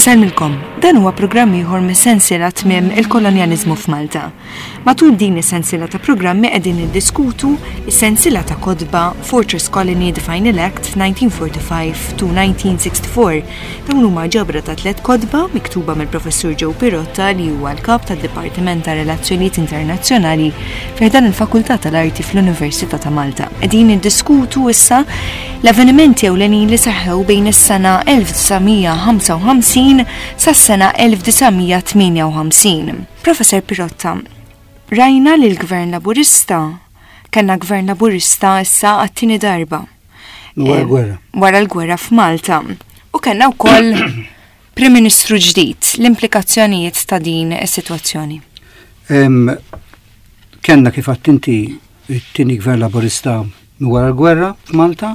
Insellmilkom, dan huwa programm ieħor mis-sensiela Tmiem il-Kolonjaliżmu f'Malta. Matul din is-sensiela ta' programmi qegħdin niddiskutu s-sensiela ta' kotba Fortress Colony The Final Act 1945 to 1964. Dawn huma ġabra ta' tlett kotba miktuba mill-Professur Joe Pirotta li huwa l-Kap tad-Dipartiment ta' Relazzjonijiet Internazzjonali fi ħdan il-Fakultà tal-Arti fl-Università ta' Malta. Qegħdin niddiskutu issa l-avvenimenti ewlenin li seħħew bejn is-sena 1955 sas-sena 1958. Professor Pirotta, rajna li l-Gvern Laburista kellna Gvern Laburista issa għat-tieni darba. Wara l-gwerra. Wara l-gwerra f'Malta. U kellna wkoll Prim Ministru ġdid, l-implikazzjonijiet ta' din is-sitwazzjoni. Kellna kif għedt inti it-tieni gvern laburista wara l-gwerra f'Malta,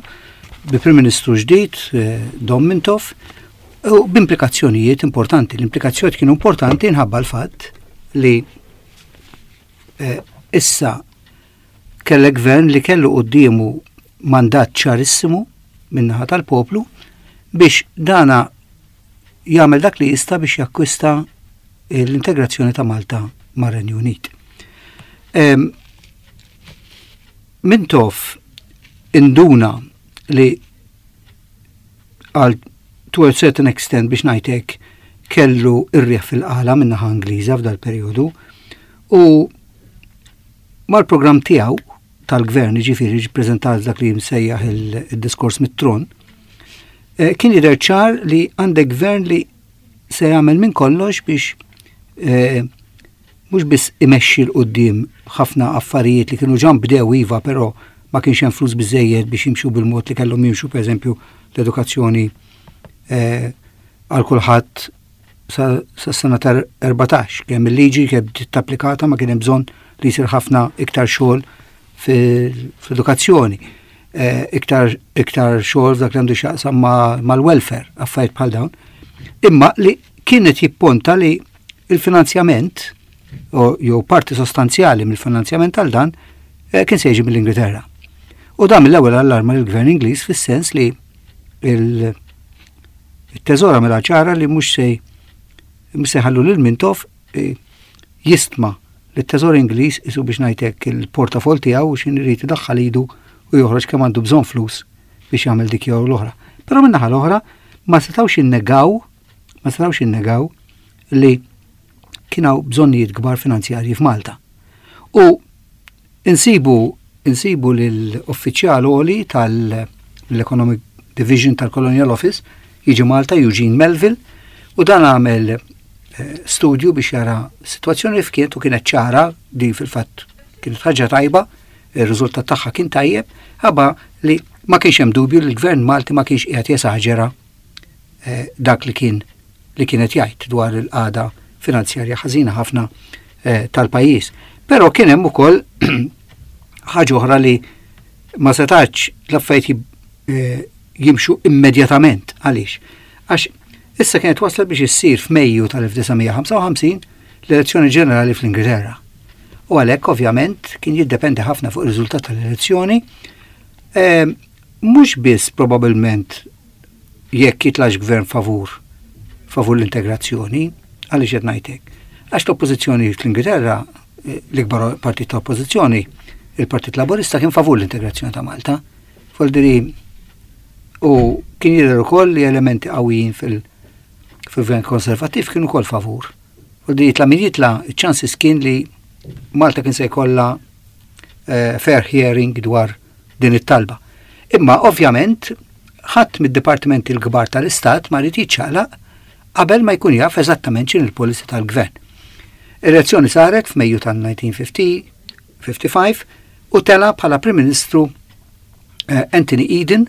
bi Prim Ministru ġdid, eh, Dom Mintoff, u b'implikazzjonijiet importanti. L-implikazzjonijiet kienu importanti nħabba l-fatt li eh, issa kellek gvern li kellu quddiemu mandat ċarissimu min-naħa tal-poplu biex dana jagħmel dak li jista' biex jakkwista l-integrazzjoni ta' Malta mar-Renju Unit. Mintoff induna li għal to a certain extent biex ngħidlek kellu ir-riħ fil-qala min-naħa Ingliża f'dal perjodu u mal-programm tiegħu tal-gvern, jiġifieri ġie ppreżentat dak li jimsejjaħ il-diskors mit-tron, eh, kien jidher ċar li għandek gvern li se jagħmel minn kollox biex eh, mhux biss imexxi 'l quddiem ħafna affarijiet li kienu ġan bdew iva, però ma kienx hemm flus biżejjed biex jimxu bil-mod li kellhom jimxu pereżempju l-edukazzjoni eh, għal kulħadd sa sena ta' 14, kemm il-liġi kemm bdiet applikata ma kien hemm bżonn li jsir ħafna iktar xogħol fil-edukazzjoni, eh, iktar iktar xogħol f'dak li għandu x'jaqsam mal-welfare, affarijiet bħal dawn. Imma li kienet jipponta li il-finanzjament jew parti sostanzjali mill-finanzjament għal dan eh, kien se jiġi mill-Ingilterra. U dan mill-ewwel allarma lill-Gvern Ingliż fis-sens li il- It-teżor għamilha ċara li mhux se mhux se jħallu lil Mintoff eh, jistma li t-teżor Ingliż isu biex ngħidlek il-portafol tiegħu u x'in irid idaħħal idu u joħroġ kemm għandu bżonn flus biex jagħmel dik jew l-oħra. Però min-naħa l-oħra ma setgħux jinnegaw ma setgħux jinnegaw li kien hawn bżonnijiet kbar finanzjarji f'Malta. U Insibu insibu lil uffiċjal għoli tal-Economic Division tal-Colonial Office jiġi Malta Eugene Melville u dan għamel eh, studju biex jara situazzjoni li fkiet u kienet ċara di fil-fatt kienet ħaġa tajba, ir-riżultat tagħha kien tajjeb, ħabba li ma kienx hemm dubju li l-gvern Malti ma kienx qiegħed jesaġera eh, dak li kien li kienet jgħid dwar il-qagħda finanzjarja ħażina ħafna eh, tal-pajjiż. Però kien hemm ukoll ħaġa oħra li ma setax l-affarijiet eh, jimxu immedjatament. Għaliex? Għax issa kienet waslet biex issir f'Mejju tal-1955 l-elezzjoni ġenerali fl-Ingilterra. U għalhekk ovvjament kien jiddependi ħafna fuq ir-riżultat tal-elezzjoni, eh, mhux biss probabbilment jekk jitlax gvern favur favur l-integrazzjoni, għaliex qed ngħid hekk? Għax l-oppożizzjoni fl-Ingilterra, eh, l-ikbar partit ta' oppożizzjoni, il-Partit Laburista kien favur l-integrazzjoni ta' Malta. Foldiri u kien jidher ukoll li elementi qawwijin fil-gvern konservattiv kienu ukoll favur. Foldiri jitla' min jitla', iċ-ċansis kien li Malta kien se jkollha eh, fair hearing dwar din it-talba. Imma ovvjament ħadd mid-dipartimenti l-kbar tal-Istat ma rid jiċċaqlaq qabel ma jkun jaf eżattament x'in il-policy tal-gvern. Elezzjoni saret f'Mejju tal-1955 u tela bħala Prim Ministru eh, Anthony Eden,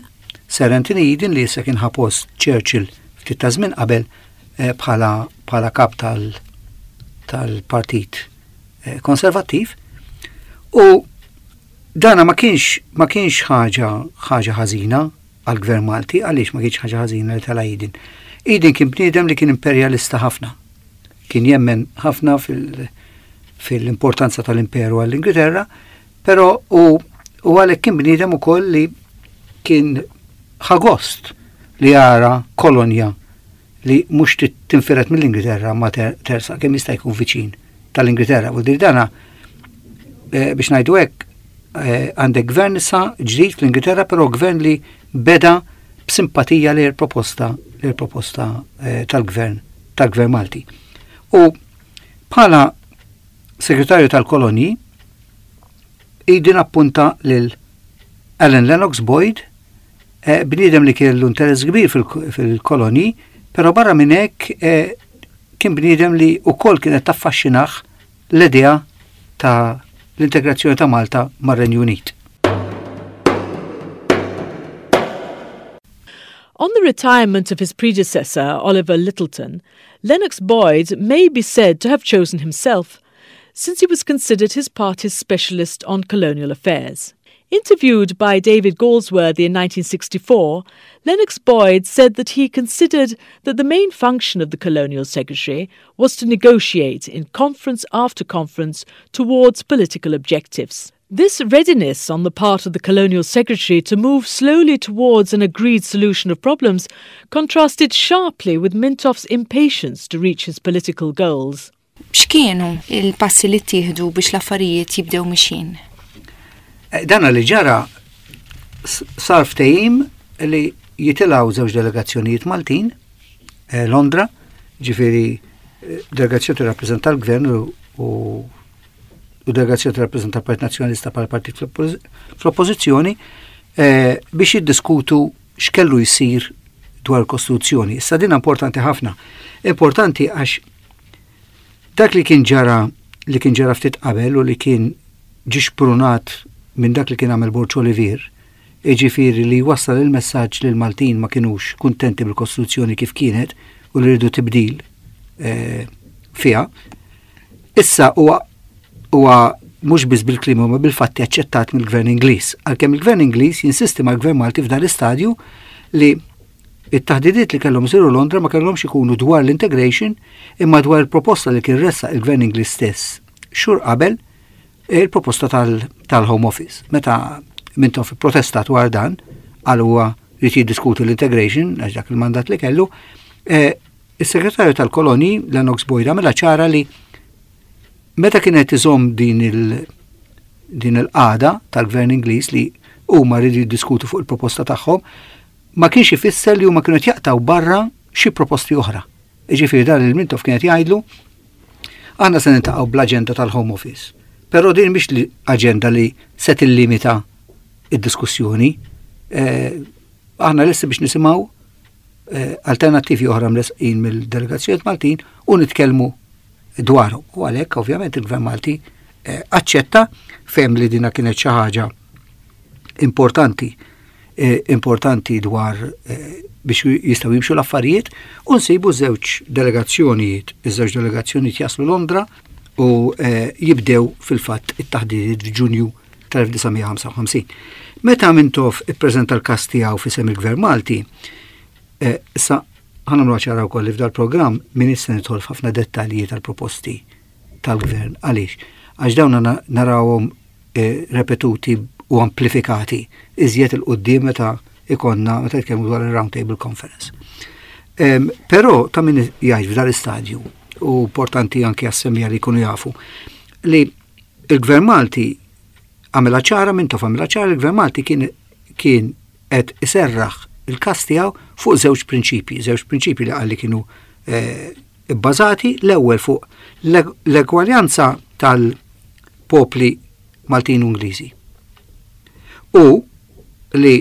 Sir Anthony Eden li issa kien ħa post Churchill ftit ta' żmien qabel eh, bħala bħala kap tal-Partit eh, Konservattiv u Dana ma kienx ma kienx ħaġa ħaġa ħażina għall-Gvern Malti, għaliex ma kienx ħaġa ħażina li tela' Eden? Eden kien bniedem li kien imperjalista ħafna. Kien jemmen ħafna fil-importanza tal-imperu għall-Ingilterra, però u u għalhekk kien bniedem ukoll li kien ħa gost li jara kolonja li mhux tinfired mill-Ingilterra ma tersaq kemm jista' jkun viċin tal-Ingilterra. U dana eh, biex ngħidu hekk eh, għandek gvern issa ġdid fl-Ingilterra, però gvern li beda b'simpatija li l-proposta li l-proposta eh, tal-gvern tal-gvern Malti. U bħala segretarju tal-kolonji Eden appunta lil Alan Lennox Boyd, eh, bniedem li kellu interess kbir fil-kolonji, però barra minn hekk eh, kien bniedem li wkoll kienet taffaxxinah l-idea ta' l-integrazzjoni ta' Malta mar-Renju Unit. On the retirement of his predecessor, Oliver Lyttelton, Lennox Boyd may be said to have chosen himself, since he was considered his party's specialist on colonial affairs. Interviewed by David Galsworthy in 1964, Lennox Boyd said that he considered that the main function of the colonial secretary was to negotiate in conference after conference towards political objectives. This readiness on the part of the colonial secretary to move slowly towards an agreed solution of problems contrasted sharply with Mintoff's impatience to reach his political goals. X'kienu il-passi li ttieħdu biex l-affarijiet jibdew mixjin? Eh, dana li ġara sar ftehim li jitilgħu żewġ delegazzjonijiet Maltin eh, Londra, ġifieri eh, delegazzjoni tirrappreżenta l-gvern u u delegazzjoni tirrappreżenta l-Partit Nazzjonalista bħala partit fl-oppożizzjoni biex jiddiskutu x'kellu jsir dwar il-Kostituzzjoni. Issa din importanti ħafna. Importanti għax dak li kien ġara li kien ġara ftit qabel u li kien ġie xprunat minn dak li kien għamel Borg Olivier, jiġifieri li wassal il-messaġġ li l-Maltin ma kinux kuntenti bil-Kostituzzjoni kif kienet u li rridu tibdil eh, fiha. Issa huwa huwa mhux biss bil-kliem imma bil-fatti aċċettat mill-Gvern Ingliż. Għalkemm il-Gvern Ingliż jinsisti mal-Gvern Malti f'dan l-istadju li it-taħdidiet li kellhom isiru Londra ma kellhomx ikunu dwar l-integration imma dwar il-proposta li kien ressaq il-Gvern Ingliż stess xhur qabel il-proposta tal-Home Office. Meta Mintoff protesta dwar dan, għal huwa li jiddiskuti l-integration, għax dak il-mandat li kellu, eh, is-segretarju tal-koloni, Lennox Boyd, għamilha ċara li Meta kien qed iżomm din il din il-qagħda tal-Gvern Ingliż li huma rridu jiddiskutu fuq il-proposta tagħhom, ma kienx ifisser li huma kienu qed jaqtgħu barra xi proposti oħra. Jiġifieri dan lil Mintoff kien qed jgħidlu aħna se niltaqgħu bl-aġenda tal-Home Office. Però din mhix li aġenda li se tillimita id-diskussjoni. Eh, aħna lesti biex nisimgħu eh, alternattivi oħra mresqin mill-delegazzjonijiet Maltin u nitkellmu dwaru. U għalhekk ovvjament il-Gvern Malti eh, aċċetta fem li dina kienet xi ħaġa importanti eh, importanti dwar eh, biex jistgħu jimxu l-affarijiet u nsibu żewġ delegazzjonijiet, iż-żewġ delegazzjonijiet jaslu Londra u jibdew fil-fatt it-taħdidiet f'Ġunju tal-1955. Meta Mintoff ippreżenta l-każ tiegħu f'isem il-Gvern Malti, issa Ħa nagħmluha ċara wkoll li f'dal-programm m'iniex se nidħol f'ħafna dettalji tal-proposti tal-Gvern. Għaliex? Għax dawn narawhom eh, repetuti u amplifikati iżjed il-qudiem meta ikonna meta nitkellmu dwar il-Round Table Conference. Però ta' min jgħid f'dal istadju u importanti anke għas-semija li jkunu jafu li il-Gvern Malti għamela ċara minn tof għamela ċara il-Gvern Malti kien kien qed iserraħ il-każ tiegħu fuq żewġ prinċipji, żewġ prinċipji li qal li kienu eh, bbażati l-ewwel fuq l-egwaljanza tal-popli Maltin u Ingliżi. U li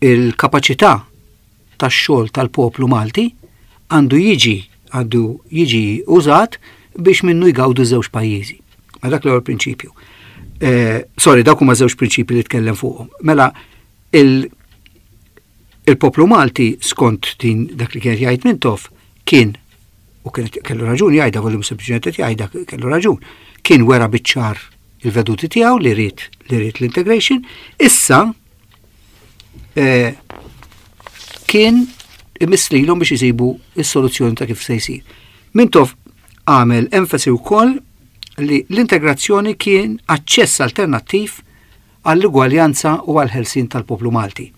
il-kapaċità tax-xogħol tal-poplu Malti għandu jiġi għandu jiġi użat biex minnu jgawdu żewġ pajjiżi. Ma dak l-ewwel prinċipju. Eh, sorry, dawk huma żewġ prinċipji li tkellem fuqhom. Mela il il-poplu Malti skont din dak li kien jgħid Mintoff kien u kien kellu raġun jgħidha volum sempliċement qed jgħidha kellu raġun. Kien wera biċ-ċar il-veduti tiegħu li ried li ried l-integration, issa eh, kien imiss lilhom biex isibu s-soluzzjoni ta' kif se jsir. Mintoff għamel enfasi wkoll li l-integrazzjoni kien aċċess alternattiv għall-ugwaljanza u għall-ħelsien tal-poplu Malti.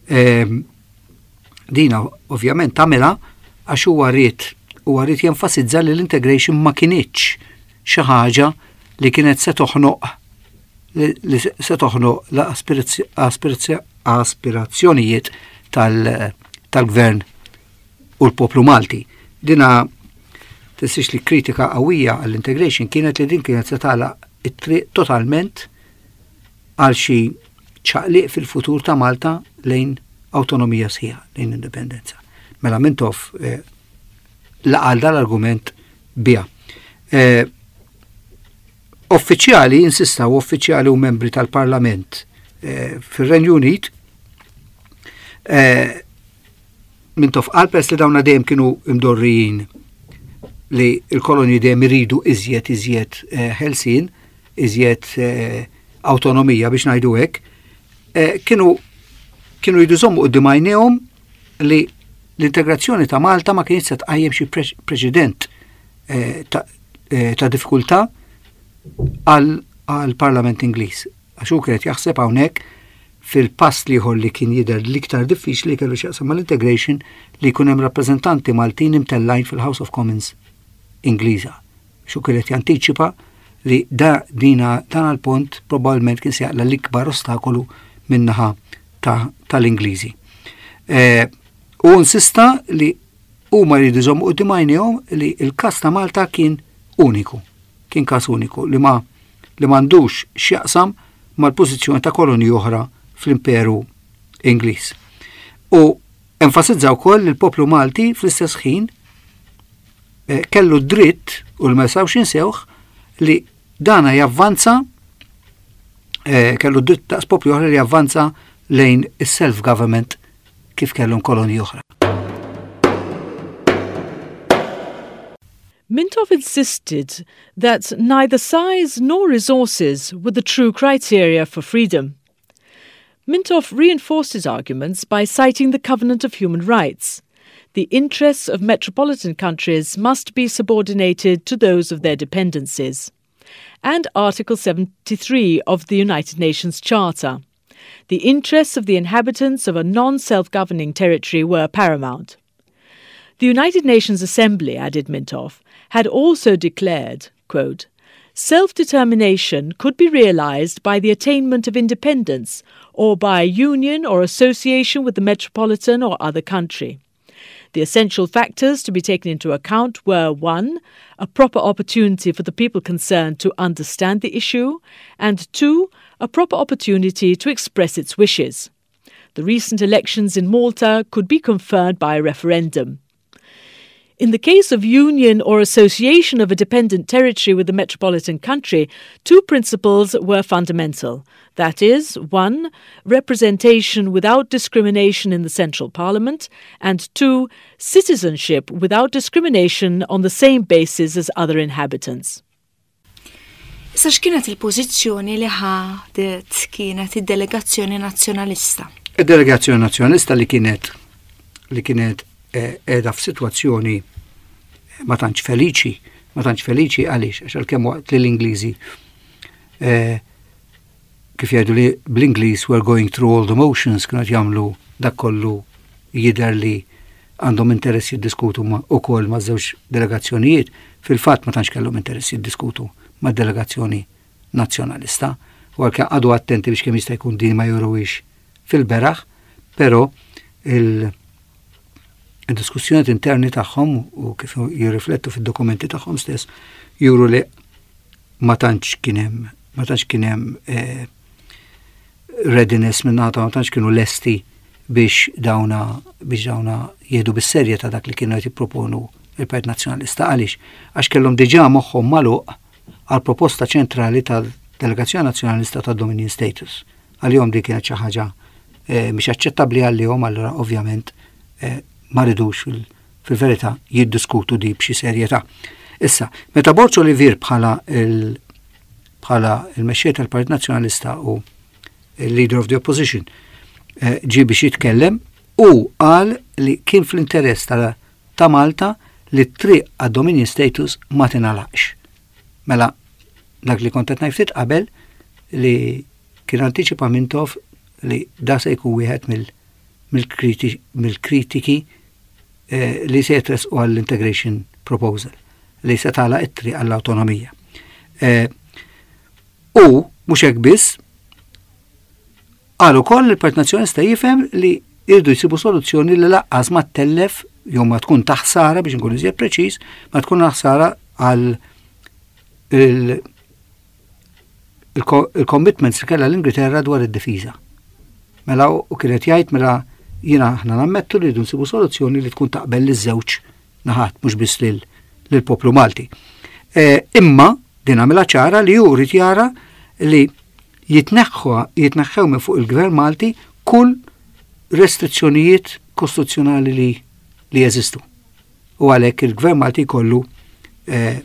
Ehm, Dina ovvjament għamilha għax huwa ried huwa ried jenfasizza li l-integration ma kinitx xi ħaġa li kienet se toħnoq li se toħnoq l-aspirazzjonijiet tal-gvern u l-poplu Malti. Dina tinsiex li kritika qawwija għall-integration kienet li din kienet se tagħlaq it-triq totalment għal xi ċaqliq fil-futur ta' Malta lejn awtonomija sħiħa, lejn indipendenza. Mela Mintoff eh, laqal dal-argument biha. Eh, uffiċjali insistaw uffiċjali u membri tal-Parlament eh, fir-Renju Unit eh, Mintoff qal peress li dawna dejjem kienu imdorrijin li l-kolonji dejjem iridu iżjed iżjed eh, ħelsien, iżjed eh, awtonomija biex ngħidu hekk, eh, kienu kienu jridu jżommu quddiem għajnejhom li l-integrazzjoni ta' Malta ma kienx se tqajjem xi preċedent ta' diffikultà għall-Parlament Ingliż. Għax hu kien qed jaħseb hawnhekk fil-pass l-ieħor li kien jidher l-iktar diffiċli li kellu x'jaqsam mal-integration li jkun hemm rappreżentanti Maltin imtellgħin fil-House of Commons Ingliża. Għax hu kien qed jantiċipa li da dina dan għall-pont probabbilment kien se jaqla' l-ikbar ostakolu min-naħa tal-Ingliżi. Eh, u insista li huma jridu jżommu quddiem għajnejhom li l-każ ta' Malta kien uniku. Kien każ uniku li ma li m'għandux x'jaqsam mal-pożizzjoni ta' kolonji oħra fl-Imperu Ingliż. U enfasizza wkoll li l-poplu Malti fl-istess ħin eh, kellu dritt u li ma jistgħux insewh li dana javvanza eh, kellu dritt ta' poplu oħra li javvanza lejn is-self-government kif kellhom kolonji oħra. Mintoff insisted that neither size nor resources were the true criteria for freedom. Mintoff reinforced his arguments by citing the Covenant of Human Rights. The interests of metropolitan countries must be subordinated to those of their dependencies. And Article 73 of the United Nations Charter. The interests of the inhabitants of a non self governing territory were paramount. The United Nations Assembly, added Mintoff, had also declared, quote, Self-determination could be realized by the attainment of independence or by union or association with the metropolitan or other country. The essential factors to be taken into account were 1. A proper opportunity for the people concerned to understand the issue, and 2. A proper opportunity to express its wishes. The recent elections in Malta could be confirmed by a referendum. In the case of union or association of a dependent territory with a metropolitan country, two principles were fundamental. That is, one, representation without discrimination in the central parliament, and two, citizenship without discrimination on the same basis as other inhabitants. Issa x'kienet il-pożizzjoni li ħadet kienet id-delegazzjoni nazzjonalista? Id-delegazzjoni nazzjonalista li kienet li kienet eh, qiegħda f'sitwazzjoni ma tantx feliċi, ma tantx feliċi għaliex għax għalkemm waqt li l-Ingliżi eh, kif jgħidu li bl-Ingliż we're going through all the motions kienu qed jagħmlu dak kollu jidher li għandhom interess jiddiskutu wkoll ma' żewġ delegazzjonijiet, fil-fatt ma tantx kellhom interess jiddiskutu mad-delegazzjoni Nazzjonalista, u għalkemm qagħdu attenti biex kemm jista' jkun din ma juruhiex fil-beraħ, però il diskussjonijiet interni tagħhom u kif jirriflettu fid-dokumenti tagħhom stess juru li ma tantx kien hemm ma tantx kien hemm eh, readiness minn naħa ma tantx kienu lesti biex dawna biex dawna jieħdu bis-serjetà dak li kienu qed jipproponu il-Partit Nazzjonalista. Għaliex? Għax kellhom diġà moħħhom magħluq għal proposta ċentrali tal-Delegazzjoni Nazzjonalista ta' Dominion Status. Għalihom din kienet xi ħaġa eh, mhix aċċettabbli għalihom allura ovvjament eh, ma ridux fil-verità jiddiskutu di b'xi serjetà. Issa, meta Borg Olivier bħala il bħala il-mexxej tal-Partit Nazzjonalista u il-Leader of the Opposition eh, ġie biex jitkellem u qal li kien fl-interess ta' Malta li t-triq għad-Dominion Status ma tingħalaqx. Mela, dak li kont qed ngħid ftit qabel li kien antiċipa Mintoff li da se jkun wieħed mill mill-kritiki eh, li se jitresqu għall-integration proposal li se tagħlaq it-triq għall-awtonomija. Eh, u mhux hekk biss, qal ukoll li l-Partit Nazzjonalista jifhem li jridu jsibu soluzzjoni li laqqas ma ttellef jew ma tkun ta' ħsara biex nkun iżjed preċiż, ma tkun ħsara għal il-commitments li kellha l-Ingilterra dwar id-difiża. Mela u kienet jgħid mela jiena aħna nammettu li rridu nsibu soluzzjoni li tkun taqbel liż-żewġ naħat mhux biss lill-poplu Malti. E, imma din għamilha ċara li hu rrid jara li jitneħħu jitneħħew minn fuq il-Gvern Malti kull restrizzjonijiet kostituzzjonali li li jeżistu. U għalhekk il-Gvern Malti jkollu eh,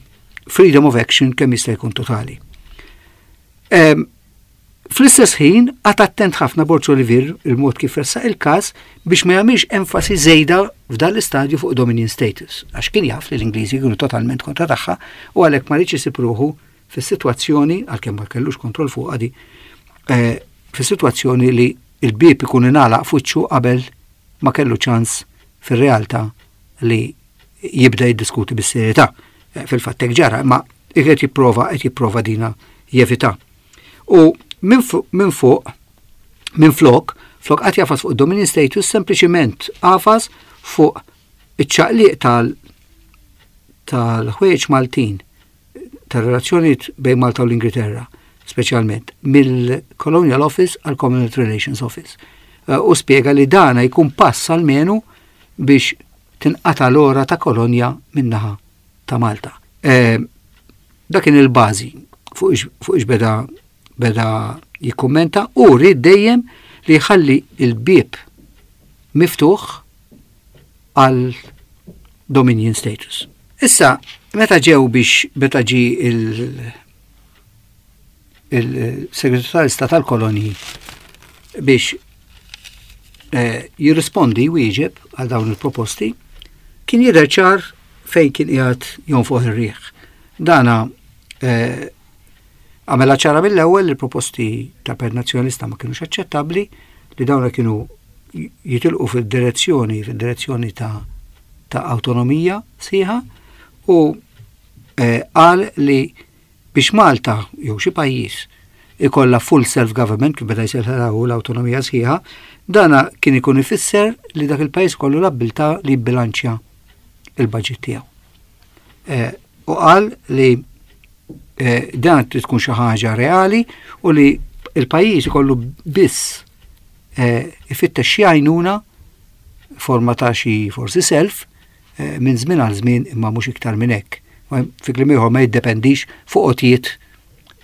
freedom of action kemm jista' jkun totali. Eh, fl-istess ħin, għat attent ħafna Borġ Olivier il-mod kif ressaq il-każ biex ma jagħmilx enfasi żejda f'dan l-istadju fuq Dominion status, għax kien jaf li l-Ingliżi kienu totalment kontra tagħha u għalhekk ma rridx isib ruħu fis-sitwazzjoni, għalkemm ma kellux kontroll fuqha di, eh, fis-sitwazzjoni li il-bieb ikun ingħalaq f'wiċċu qabel ma kellu ċans fir-realtà li jibda jiddiskuti bis-serjetà. Eh, fil-fatt hekk ġara, imma qed jipprova qed jipprova dina jevita. U minn fuq, minn flok, flok qatt jafas fuq dominion status sempliċiment għafas fuq iċ-ċaqliq tal tal-ħwejjeġ Maltin tar-relazzjonijiet bejn Malta u l-Ingilterra, speċjalment mill-Colonial Office għal Commonwealth Relations Office. Eh, u spjega li dana jkun pass almenu biex tinqata l-ora ta' kolonja minnaħa ta' Malta. Eh, dak kien il-bażi fuq ix beda beda jikkummenta u rrid dejjem li jħalli il-bieb miftuħ għal Dominion status. Issa, meta ġew biex meta ġi il- il-Segretarju tal-Istat tal-Kolonji biex eh, jirrispondi wieġeb għal dawn il-proposti, kien jidher ċar fejn kien qiegħed jonfoħ ir-riħ. Dana eh, għamela ċara mill-ewwel li proposti ta' per nazzjonalista ma kienux aċċettabbli li dawna kienu jitilqu fil-direzzjoni fil-direzzjoni ta' ta' awtonomija sħiħa u eh, qal li biex Malta jew xi pajjiż ikollha full self-government kif beda jsejħilha hu l-awtonomija sħiħa, dana kien ikun ifisser li dak il-pajjiż kollu l-abbiltà li jibbilanċja il-budget tiegħu. Eh, u qal li eh, dan trid tkun xi ħaġa reali u li il-pajjiż ikollu biss eh, ifittex xi għajnuna forma ta' xi forsi self eh, minn żmien għal żmien imma mhux iktar minn hekk. Fi kliem ieħor ma jiddependix fuq għotjiet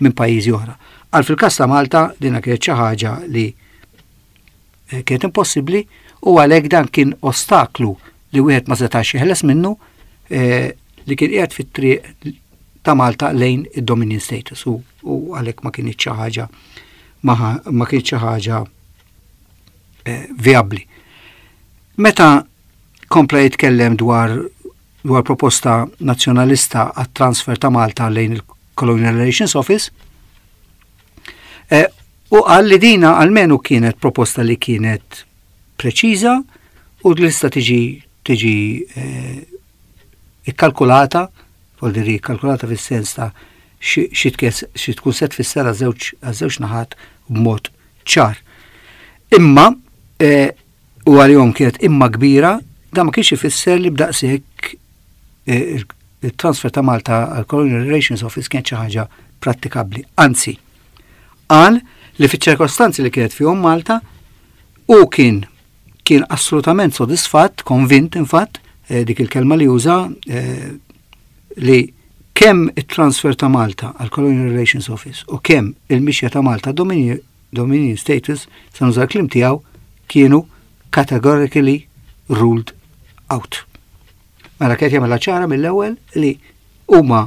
minn pajjiżi oħra. Għal fil-każ ta' Malta dina kienet xi ħaġa li eh, kienet impossibbli u għalhekk dan kien ostaklu li wieħed ma setax jeħles minnu eh, li kien qiegħed fit-triq ta' Malta lejn id-Dominion status u għalhekk ma kienx xi ħaġa ma kienx xi ħaġa vijabbli. Meta kompla jitkellem dwar dwar proposta nazzjonalista għat-transfer ta' Malta lejn il-Colonial Relations Office, eh, u qal li dina almenu kienet proposta li kienet preċiża u li tista' tiġi tiġi eh, ikkalkulata, vuol dire ikkalkulata fis-sens ta' xi tkun se tfisser għaż-żewġ naħat b'mod ċar. Imma eh, u għalihom kienet imma kbira, dan ma kienx ifisser li b'daqshekk eh, il-transfer ta' Malta għal Colonial Relations Office kienet xi ħaġa prattikabbli. Anzi, qal li fiċ-ċirkostanzi li kienet fihom Malta u kien kien assolutament sodisfatt, konvint infatt, eh, dik il-kelma li uża eh, li kemm it-transfer ta' Malta għal Colonial Relations Office u kemm il-mixja ta' Malta Dominion Dominion status, se nuża l-kliem tiegħu, kienu categorically ruled out. Mela kienet jagħmilha ċara mill-ewwel li huma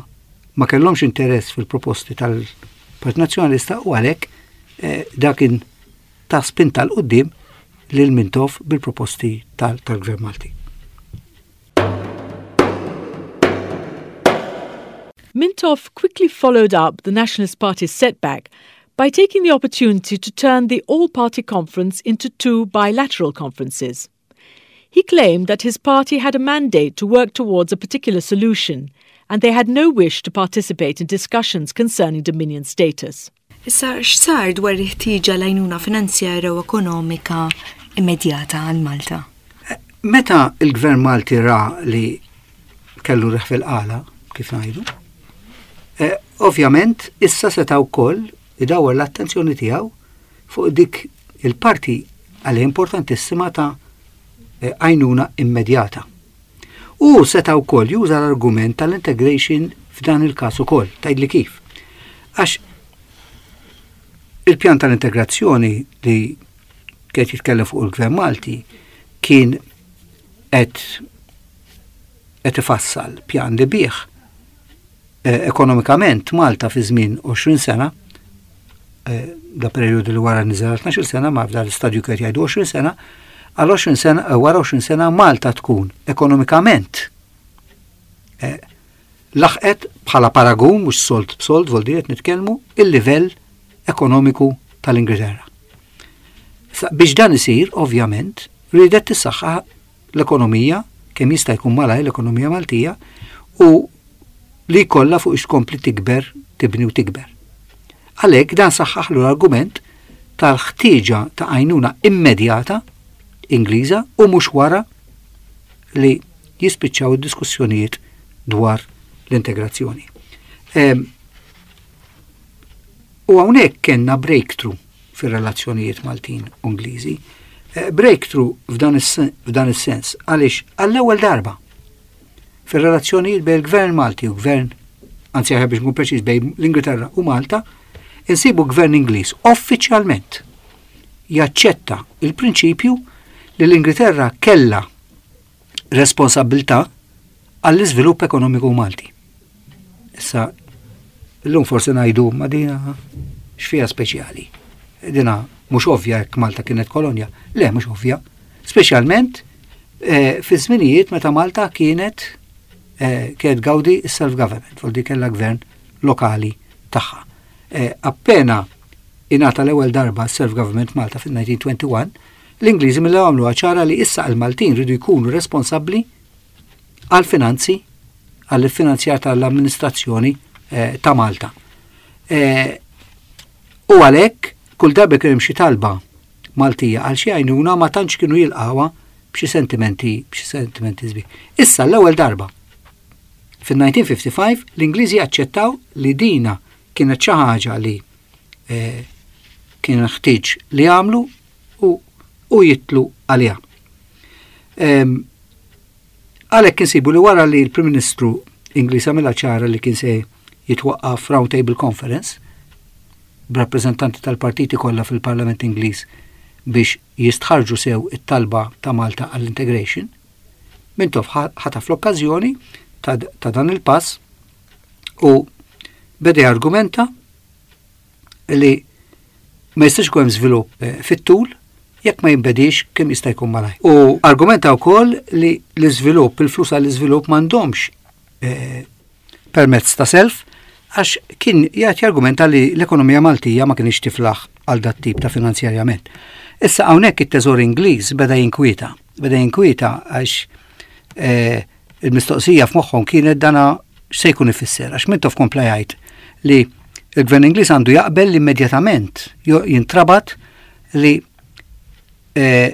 ma kellhomx interess fil-proposti tal-Partit Nazzjonalista u għalhekk eh, dak kien ta' spinta 'l quddiem lil Mintoff bil-proposti tal-Gvern Malti. Mintoff quickly followed up the Nationalist Party's setback. by taking the opportunity to turn the all-party conference into two bilateral conferences. He claimed that his party had a mandate to work towards a particular solution and they had no wish to participate in discussions concerning Dominion status. Issa x'sar dwar il-ħtieġa l-għajnuna finanzjarja u ekonomika immedjata għal Malta? Meta il-Gvern Malti ra li kellu riħ fil-qala, kif ngħidu, eh, ovvjament issa seta' wkoll idawwar l-attenzjoni tiegħu fuq dik il-parti għalih importantissima ta' eh, għajnuna immedjata. U seta' wkoll juża l-argument tal-integration f'dan il-każ ukoll. Tgħidli kif? Għax il-pjan tal-integrazzjoni li kien jitkellem fuq il-Gvern Malti kien qed qed ifassal pjan li bih eh, ekonomikament Malta fi żmien 20 sena, eh, da periodu li wara niżel 12 sena, ma f'dan l-istadju kien jgħidu 20 sena, għal 20 sena, eh, wara 20 sena Malta tkun ekonomikament laħqet bħala paragun mhux sold b'sold vol qed nitkellmu il-livell ekonomiku tal-Ingilterra. Biex dan isir, ovvjament, riedet tissaħħa l-ekonomija, kemm jista' jkun malaj l-ekonomija Maltija, u li jkollha fuq tkompli tikber, tibni u tikber. Għalhekk dan saħħaħlu l-argument tal-ħtieġa ta' għajnuna immedjata Ingliża u mhux wara li jispiċċaw id-diskussjonijiet dwar l-integrazzjoni. U hawnhekk kellna breakthrough fir-relazzjonijiet Maltin u Ingliżi. Eh, breakthrough f'dan is-sens għaliex għall-ewwel darba fir-relazzjonijiet bejn il-Gvern Malti u Gvern, anzi aħjar biex nkun preċiż bejn l-Ingilterra u Malta, insibu Gvern Ingliż uffiċjalment jaċċetta il-prinċipju li l-Ingilterra kella responsabilità għall-iżvilupp ekonomiku Malti. Issa, illum forsi ngħidu ma dina x'fiha speċjali. Dina mhux ovvja jekk Malta kienet kolonja. Le, mhux ovvja. Speċjalment eh, fi żminijiet meta Malta kienet eh, kienet gawdi self-government, vol di kellha gvern lokali tagħha. Eh, appena ingħata l-ewwel darba self-government Malta fil-1921, l-Ingliżi mill għamlu ċara li issa l-Maltin ridu jkunu responsabbli għal-finanzi għall-finanzjar tal-amministrazzjoni eh, ta' Malta. Eh, u għalhekk kull darba kien hemm xi talba Maltija għal xi għajnuna ma tantx kienu jilqawha b'xi sentimenti b'xi sentimenti sbieħ. Issa l-ewwel darba fil-1955 l-Ingliżi aċċettaw li dina kienet xi ħaġa li eh, kien ħtieġ li jagħmlu u, u jitlu għaliha. Għalhekk insibu li wara li l-Prim Ministru Ingliż għamilha ċara li kien se jitwaqqaf Round Table Conference b'rappreżentanti tal-partiti kollha fil-Parlament Ingliż biex jistħarġu sew it-talba ta' Malta għall-integration, Mintoff ħataf l-okkażjoni ta', ta dan il-pass u beda jargumenta li ma jistax ikun hemm żvilupp eh, fit-tul jekk ma jinbedix kemm jista' jkun malaj. U argumenta wkoll li l-iżvilupp, il-flus għall-iżvilupp m'għandhomx eh, permezz ta' self għax kien jgħid jargumenta li l-ekonomija Maltija ma kienx tiflaħ għal dat tip ta' finanzjarjament. Issa hawnhekk it-Teżor Ingliż beda jinkwieta, beda jinkwieta għax eh, Il-mistoqsija f'moħħhom kienet dana x'se jkun ifisser għax Mintoff kompla jgħid li l-Gvern Ingliż għandu jaqbel li immedjatament jintrabat li eh,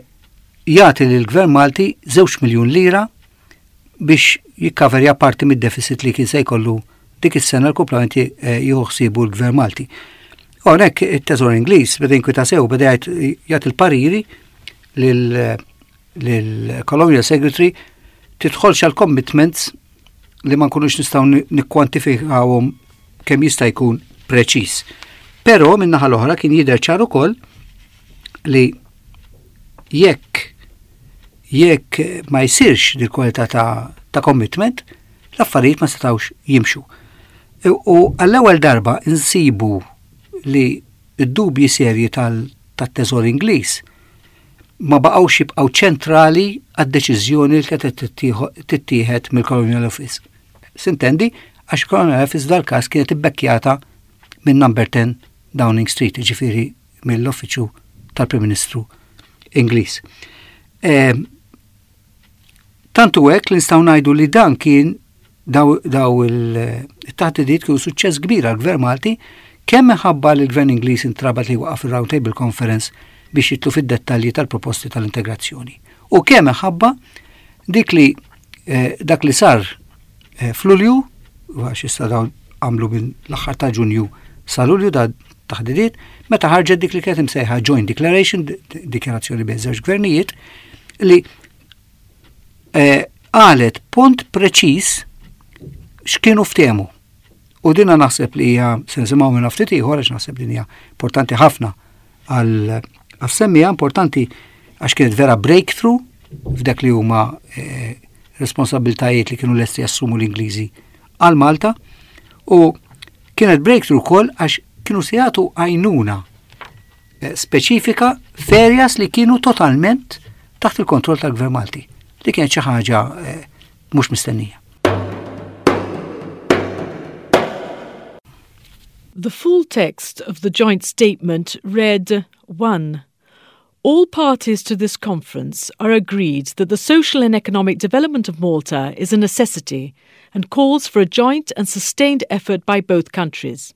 jagħti lill-Gvern Malti 2 miljun lira biex jikkaverja parti mid-deficit li kien se jkollu dik is-sena l-kumplament eh, jieħu ħsiebu l-Gvern Malti. Hawnhekk it-Teżor Ingliż beda jinkwita sew beda jgħid il-pariri lil lill-Colonial Secretary tidħolx għal commitments li ma nkunux nistgħu nikkwantifikawhom kemm jista' jkun preċiż. Però min-naħa l-oħra kien jidher ċar ukoll li jekk jekk ma jsirx dil kwalità ta', ta commitment, l-affarijiet ma setgħux jimxu. U għall-ewwel darba insibu li d-dubji serji tal-teżor Ingliż ma baqgħux jibqgħu ċentrali għad-deċiżjoni li kienet tittieħed mill-Colonial Office. Sintendi, għax Colonial Office dal-każ kienet ibbekkjata minn number 10 Downing Street, ġifieri mill-Uffiċċju tal-Prim Ministru Ingliż. Ehm, tantu hekk li nistgħu ngħidu li dan kien daw, daw il-taħdidiet kienu suċċess kbir għall-Gvern Malti kemm minħabba li l-Gvern Ingliż intrabat li waqaf il-Round Table Conference biex jitlu fid-dettalji tal-proposti tal-integrazzjoni. U kemm minħabba dik li eh, dak li sar eh, f'Lulju, għax issa dawn għamlu minn l-aħħar ta' Ġunju sa Lulju da taħdidiet, meta ħarġet dik li kienet imsejħa Joint Declaration, dikjarazzjoni bejn żewġ gvernijiet, li eh, qalet punt preċiż x'kienu ftehmu. U dina naħseb li hija se nisimgħu minn ftit ieħor għax naħseb din hija importanti ħafna għal semmija importanti għax kienet vera breakthrough f'dak li huma eh, responsabiltajiet li kienu lesti jassumu l-Ingliżi għal Malta u kienet breakthrough ukoll għax kienu se jagħtu għajnuna eh, speċifika f'areas li kienu totalment taħt il-kontroll tal-Gvern Malti li kienet xi ħaġa eh, mhux mistennija. The full text of the joint statement read 1. All parties to this conference are agreed that the social and economic development of Malta is a necessity and calls for a joint and sustained effort by both countries.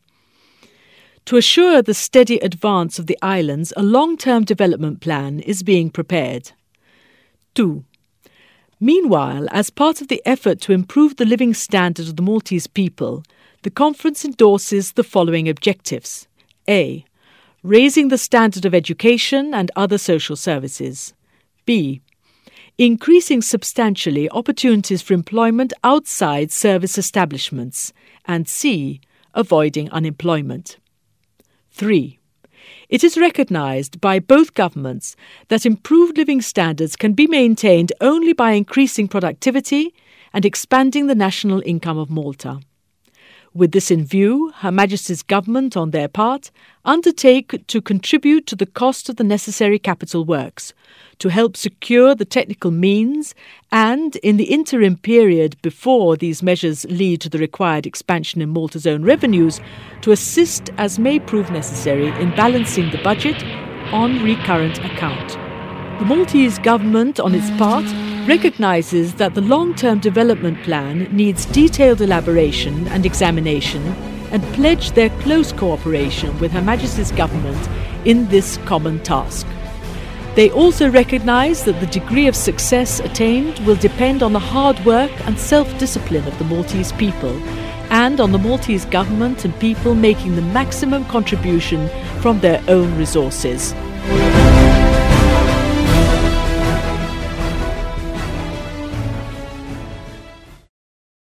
To assure the steady advance of the islands, a long term development plan is being prepared. 2. Meanwhile, as part of the effort to improve the living standard of the Maltese people, the conference endorses the following objectives A. Raising the standard of education and other social services. B. Increasing substantially opportunities for employment outside service establishments. And C. Avoiding unemployment. 3. It is recognised by both governments that improved living standards can be maintained only by increasing productivity and expanding the national income of Malta. With this in view, Her Majesty's Government, on their part, undertake to contribute to the cost of the necessary capital works, to help secure the technical means, and, in the interim period before these measures lead to the required expansion in Malta's own revenues, to assist as may prove necessary in balancing the budget on recurrent account. The Maltese government, on its part, recognises that the long term development plan needs detailed elaboration and examination and pledge their close cooperation with Her Majesty's government in this common task. They also recognise that the degree of success attained will depend on the hard work and self discipline of the Maltese people and on the Maltese government and people making the maximum contribution from their own resources.